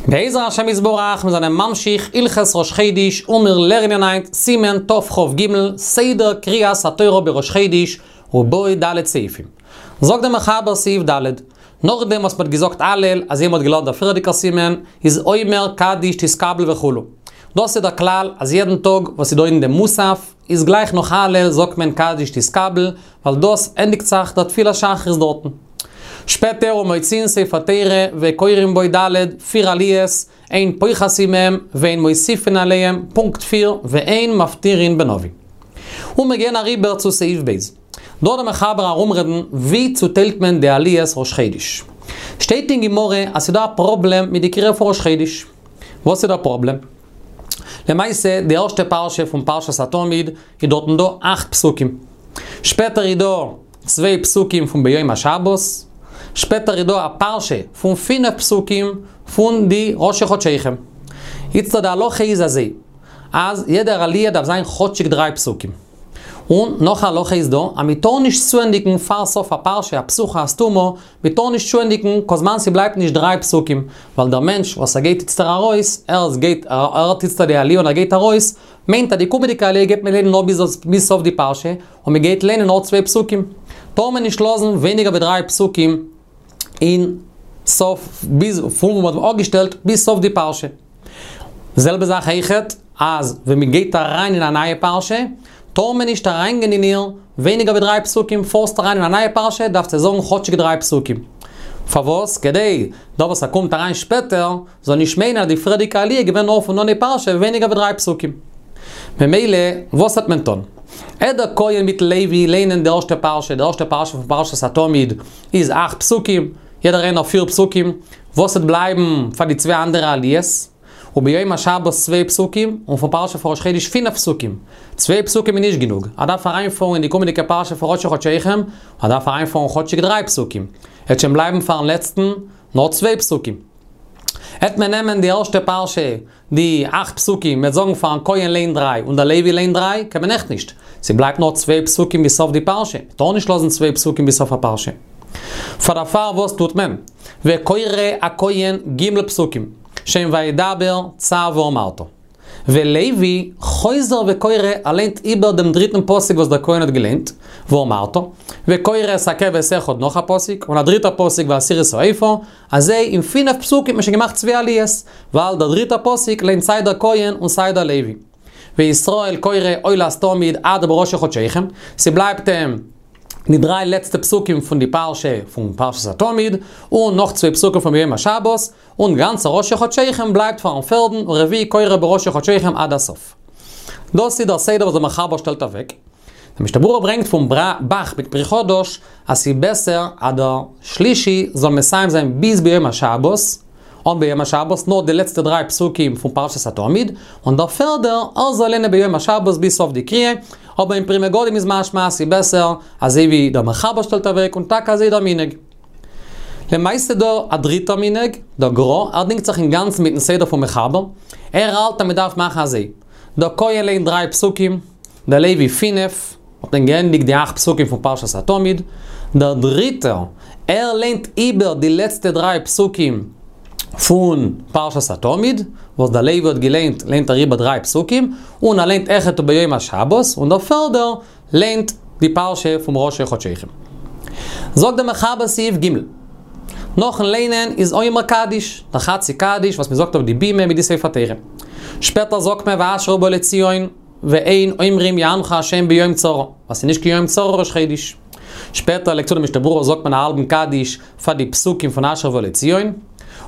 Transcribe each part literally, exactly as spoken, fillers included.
בעזר השם יתברך, מיר זענען ממשיך הלכות ראש חודש און מיר לערנען היינט סימן תכ"ג, סדר קריאת התורה בראש חודש, ובו ד' סעיפים. זאגט דער מחבר סעיף ד', נאכדעם וואס מ'האט געזאגט הלל, אזוי מ'האט געלערנט דער פריערדיגער סימן, איז אומר קדיש תתקבל וכו'. דאס איז דער כלל אז יעדן טאג וואס איז דא אין דעם מוסף, איז גלייך נאך הלל זאגט מען קדיש תתקבל, ווייל דאס ענדיגט זיך דער תפילת שחרית דארטן. שפעטער ומוציאין ספר תורה וקוראים בו ד', פיר עליות, אין פוחתין מהם ואין מוסיפין עליהם, פונקט פיר, ואין מפטירין בנביא. און מיר גייען אריבער צו סעיף ב'. דא דער מחבר ארומרעדן ווי צוטיילט מען די עליות ראש חודש. שטייט אין גמרא אז ס'דא א פראבלעם מיט די קריאה פון ראש חודש. וואס איז דער פראבלעם? למעשה די ערשטע פרשה פון פרשת התמיד איז דארטן דא אכט פסוקים. שפעטער איז דא צוויי פסוקים פון ביום השבת, שפעטער איז דא א פרשה פון פינף פסוקים פון די ראשי חדשיכם. איצטער די הלכה איז אזוי, אז יעדער עליה דארף זיין כאטשיג דריי פסוקים. און נאך א הלכה איז דא, אז מען טאר נישט צוענדיגן פאר סוף א פרשה, א פתוחה א סתומה, מען טאר נישט צוענדיגן כל זמן ס'בלייבט נישט דריי פסוקים, ווייל דער מענטש וואס ער גייט איצטער ארויס, ער גייט, ער הערט איצטער די עליה און ער גייט ארויס, מיינט אז די קומעדיגע עליה גייט מען ליינען נאר ביז סוף די פרשה, און מען גייט ליינען נאר צוויי פסוקים. טאר מען נישט לאזן ווייניגער ווי דריי פסוקים אין סוף, ביז פון וואו מען האט אפגעשטעלט ביז סוף די פרשה. די זעלבע זאך אויכעט, אז ווען מען גייט אריין אין א נייע פרשה, טאר מען נישט אריינגיין אין איר ווייניגער ווי דריי פסוקים, פארסט אריין אין א נייע פרשה דארפסטו זאגן כאטשיג דריי פסוקים. פארוואס? כדי דער וואס ער קומט אריין שפעטער זאל נישט מיינען אז די פריערדיגע עליה איז געווען נאר פון אנהייב פרשה ווייניגער ווי דריי פסוקים. ממילא, וואס וועט מען טון? וועט דער כהן מיטן לוי ליינען די ערשטע פרשה, די ערשטע פרשה פון פרשת התמיד איז אכט פסוקים, יעדער איינער פיר פסוקים, וואס וועט בלייבן פאר די צוויי אנדערע עליות? וביום השבת צוויי פסוקים, און פון פרשה פון ראש חודש פינף פסוקים. צוויי פסוקים איז נישט גענוג, ער דארף אריינפארן אין די קומענדיגע פרשה פון ראשי חדשיכם, ער דארף אריינפארן כאטשיג דריי פסוקים. עט שוין בלייבן פארן לעצטן נאר צוויי פסוקים. עט מען נעמען די ערשטע פרשה, די אכט פסוקים, מ'עט זאגן פארן כהן ליין דריי און דער לוי ליין דריי, קען מען עכט נישט. ס'בלייבט נאר צוויי פסוקים ביז סוף די פרשה. מ'טאר נישט לאזן צוויי פסוקים ביז סוף הפרשה. פאר דערפאר וואס טוט מען? וקורא הכהן ג' פסוקים, שהם וידבר צו ואמרת. ולוי חוזר וקורא, ער ליינט איבער דעם דריטן פסוק וואס דער כהן האט געליינט, ואמרת, וקורא את הכבש אחד נאך א פסוק, און א דריטער פסוק ועשירית האיפה, אזוי אין פינף פסוקים האט מען שוין געמאכט צוויי עליות, ווייל דער דריטער פסוק ליינט סיי דער כהן און סיי דער לוי. וישראל קורא עולת תמיד עד בראשי חדשיכם, ס'בלייבט אים די דריי לעצטע פסוקים פון די פרשה פון פרשת התמיד, און נאך צוויי פסוקים פון ביום השבת, און גאנצע ראשי חדשיכם בלייבט פארן פערדן ורביעי קורא בראשי חדשיכם עד הסוף. דאס איז דער סדר וואס דער מחבר שטעלט אוועק. דער משנה ברורה ברענגט פון ב"ח מיט פרי חדש אז ס'איז בעסער אז דער שלישי זאל מסיים זיין ביז ביום השבת, אן ביום השבת נאר די לעצטע דריי פסוקים פון פרשת התמיד, און דער פערדער ער זאל ליינען ביום השבת ביז סוף די קריאה, אבער אין פרי מגדים איז משמע אז ס'איז בעסער אזוי ווי דער מחבר שטעלט אוועק און טאקע אזוי דער מנהג. למעשה דא א דריטער מנהג, דער גרא, ער דינגט זיך אינגאנצן מיטן סדר פון מחבר, ער האלט אז מ'דארף מאכן אזוי, דער כהן ליינט דריי פסוקים, דער לוי פינף, האט מען געענדיגט די אכט פסוקים פון פרשת התמיד, דער דריטער, ער ליינט איבער די לעצטע דריי פסוקים פון פרשת התמיד, וואס דער לוי האט געליינט, ליינט ער איבער דריי פסוקים, און ער ליינט אויכעט וביום השבת, און דער פערדער ליינט די פרשה פון ראשי חדשיכם. זאגט דער מחבר סעיף ג', נאכן ליינען איז אומר קדיש, דער חצי קדיש וואס מען זאגט אויף די בימה מיט די ספר תורה. שפעטער זאגט מען ואשר ובא לציון, ואין אומרים יענך השם ביום צרה, ווייל ס'איז נישט קיין יום צרה ראש חודש. שפעטער לייגט צו דער משנה ברורה זאגט מען א האלבן קדיש פאר די פסוקים פון אשר ובא לציון,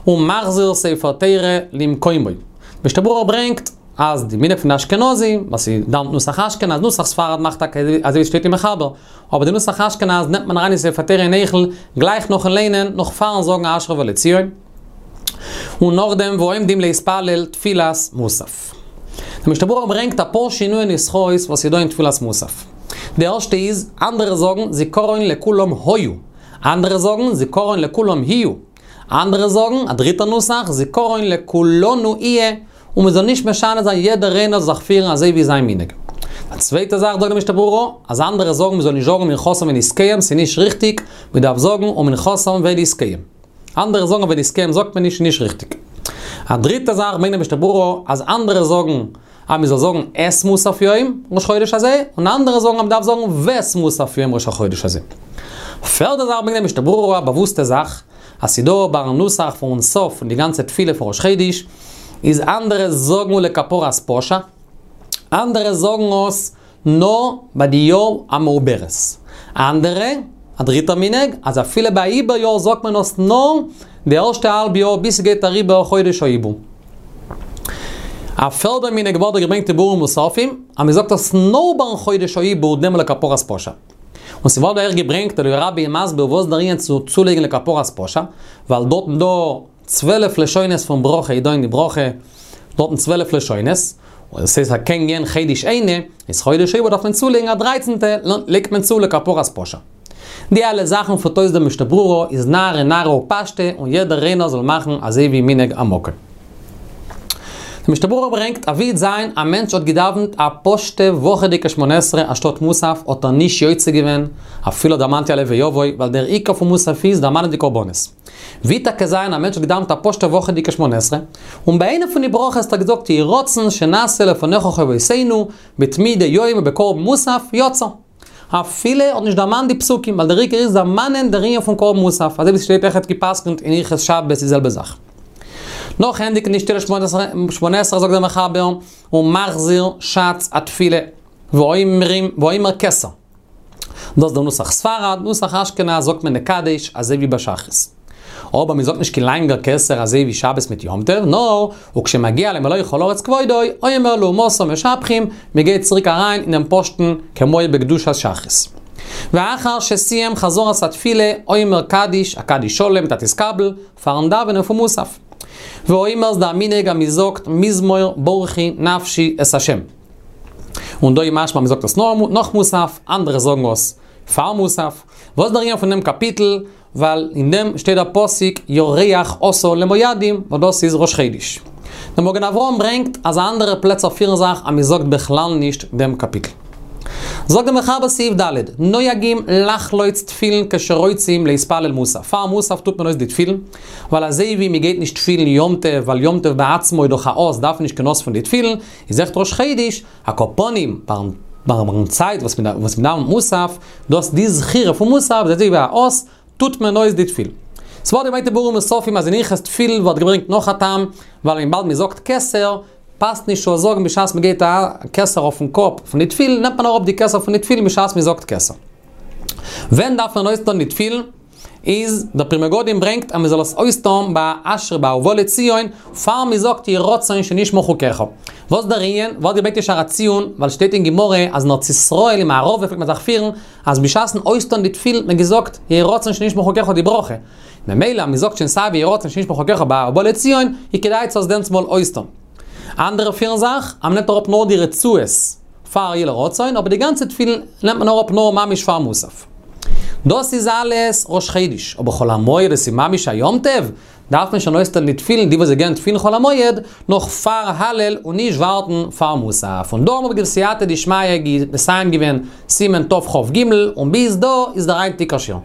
ומחזיר ספר תורה למקומו. משנה ברורה ברענגט אז די מנהג פון די אשכנזים, וואס איז דאווענט נוסח אשכנז, נוסח ספרד מאכט טאקע אזוי ווי ס'שטייט אין מחבר, אבער די נוסח אשכנז נעמט מען אריין אין ספר תורה אין היכל גלייך נאכן ליינען, נאך פארן זאגן אשרי ובא לציון. און נאכדעם ועומדים להתפלל תפילת מוסף. דער משנה ברורה ברענגט אפאר שינויי נוסחאות וואס איז דא אין תפילת מוסף. די ערשטע איז, אנדערע זאגן זכרון לכולם היו, אנדערע זאגן זכרון לכולם יהיו, אנדערע זאגן, א דריטע נוסח, זכרון לכולנו יהיה, און מען זאל נישט משנה זיין יעדער איינער זאל זיך פירן אזוי ווי זיין מנהג. א צווייטע זאך זאגט די משנה ברורה, אז אנדערע זאגן מען זאל נישט זאגן מנחתם ונזקיהם, ס'איז נישט ריכטיג, מען דארף זאגן ומנחתם ונזקיהם. אנדערע זאגן ונזקיהם זאגט מען נישט, נישט ריכטיג. א דריטע זאך ברענגט דער משנה ברורה, אז אנדערע זאגן, אז מ'זאל זאגן את מוסף יום ראש חודש הזה, און אנדערע זאגן אז מ'דארף זאגן ואת מוסף יום ראש החודש הזה. פערדע זאך ברענגט דער משנה ברורה, א באוואוסטע זאך, אז ס'דא ביים נוסח פון סוף פון די גאנצע תפילה פון ראש חודש, איז אנדערע זאגן ולכפרת פשע, אנדערע זאגן עס נאר ביי די יאר המעוברת. אנדערע, א דריטער מנהג, אז אפילו ביי עיבור יאר זאגט מען עס נאר די ערשטע האלב יאר ביז ס'גייט אריבער חודש העיבור. א פערדע מנהג ווערט דא געברענגט אין ביאורים מוספים, אז מ'זאגט עס נאר ביים חודש העיבור דעם ולכפרת פשע. און ס'ווערט דא אויך געברענגט, דער רבי איז מסביר וואס דער ענין צו צולייגן לכפרת פשע, ווייל דארטן דא צוועלף לשונות פון ברכה איז דא אין די ברכה דארטן צוועלף לשונות, און עס איז קען גיין חודש איינע, איז חודש העיבור דארף מען צולייגן א דרייצנטע, לייגט מען צו לכפרת פשע. די אלע זאכן פירט אויס דער משנה ברורה איז נהרא נהרא ופשטיה און יעדער איינער זאל מאכן אזוי ווי מנהג המקום. דער משנה ברורה ברענגט אז ווי זיין א מענטש האט געדאווענט א פשוטע וואכעדיגע שמונה עשרה אנשטאט מוסף האט ער נישט יוצא געווען אפילו דערמאנט יעלה ויבוא ווייל דער עיקר פון מוסף איז דערמאנען די קרבנות. ווי טאקע זיין א מענטש האט געדאווענט א פשוטע וואכעדיגע שמונה עשרה און ביי איינע פון די ברכות האט ער געזאגט יהי רצון שנעשה לפניך חובותינו בתמידי יום ובקרבן מוסף יצא. אפילו האט נישט דערמאנט די פסוקים, ווייל דער עיקר איז דערמאנען דער ענין פון קרבן מוסף, אזוי ווי ס'שטייט אויכעט גע'פסק'נט אין הלכות שבת די זעלבע זאך. נאך ענדיגן די שטילע שמונה עשרה זאגט דער מחבר, ומחזיר שץ התפילה, ואומרים, ואומר כתר. דאס איז דער נוסח ספרד, נוסח אשכנז זאגט מען נקדש אזוי ווי ביי שחרית. אבער מען זאגט נישט קיין לאנגער כתר אזוי ווי שבת מיט יום טוב, נאר וכשמגיע למלא כל הארץ כבודו, אומר לעומתה משבחים, מען גייט צוריק אריין אינעם פשוט'ן כמו בקדושת שחרית. ואחר שסיים חזרת התפילה, אומר קדיש, א קדיש שלם מיט א תתקבל, פארן דאווענען פון מוסף. ואומר ס'דא א מנהג אז מען זאגט מזמור ברכי נפשי את השם. און דא איז משמע מען זאגט עס נאך מוסף, אנדערע זאגן עס פאר מוסף. וואס איז דער ענין פון דעם קאפיטל? ווייל אין דעם שטייט דער פסוק ירח עשה למועדים, וואס דאס איז ראש חודש. דער מגן אברהם ברענגט אז אנדערע פלעצער פירן זיך אז מען זאגט בכלל נישט דעם קאפיטל. זאגט דער מחבר סעיף ד', נוהגים לחלוץ תפילין כשרוצים להתפלל מוסף, פאר מוסף טוט מען אויס די תפילין, ווייל אזוי ווי מען גייט נישט תפילין יום טוב, ווייל יום טוב בעצמו איז דאך א אות, דארף מען נישט קיין אות פון די תפילין, איז אויכעט ראש חודש, על כל פנים, ביים צייט וואס מען דאווענט מוסף, דאס די זכירה פון מוסף, איז אזוי ווי א אות, טוט מען אויס די תפילין. ס'ווערט געברענגט אין ביאורים מוספים אז אין הלכות תפילין ווערט געברענגט נאך א טעם, ווייל וויבאלד מען זאגט כתר, פאסט נישט צו זאגן בשעת מען גייט א כתר אויפן קאפ פון די תפילין, נעמט מען אראפ די כתר פון די תפילין בשעת מען זאגט כתר. ווען דארף מען אויסטון די תפילין? איז דער פרי מגדים ברענגט אז מען זאל עס אויסטון ביי אשרי ביי ובא לציון, פאר מען זאגט יהי רצון שנשמור חוקיך. וואס דער ענין? ווערט געברענגט אין שער הציון, ווייל שטייט אין גמרא אז אין ארץ ישראל אין מערב פלעגט מען זיך פירן אז בשעת'ן אויסטון די תפילין האט מען געזאגט יהי רצון שנשמור חוקיך די ברכה. ממילא אז מען זאגט שוין סיי ווי יהי רצון שנשמור חוקיך ביי ובא לציון, איז כדאי צו עס דענסטמאל אויסטון. אנדערע פירן זיך אז מען נעמט אראפ נאר די רצועות פאר יהי לרצון, אבער די גאנצע תפילין נעמט מען אראפ נאר ממש פאר מוסף. דאס איז אלעס ראש חודש, אבער חול המועד עס איז ממש א יום טוב, דארף מען שוין אויסטון די תפילין, די וואס זיי גייען תפילין חול המועד, נאך פאר הלל און נישט ווארטן פאר מוסף. און דא האבן מיר בסייעתא דשמיא מסיים געווען סימן תכ"ג, און ביז דא איז דער היינטיגער שיעור.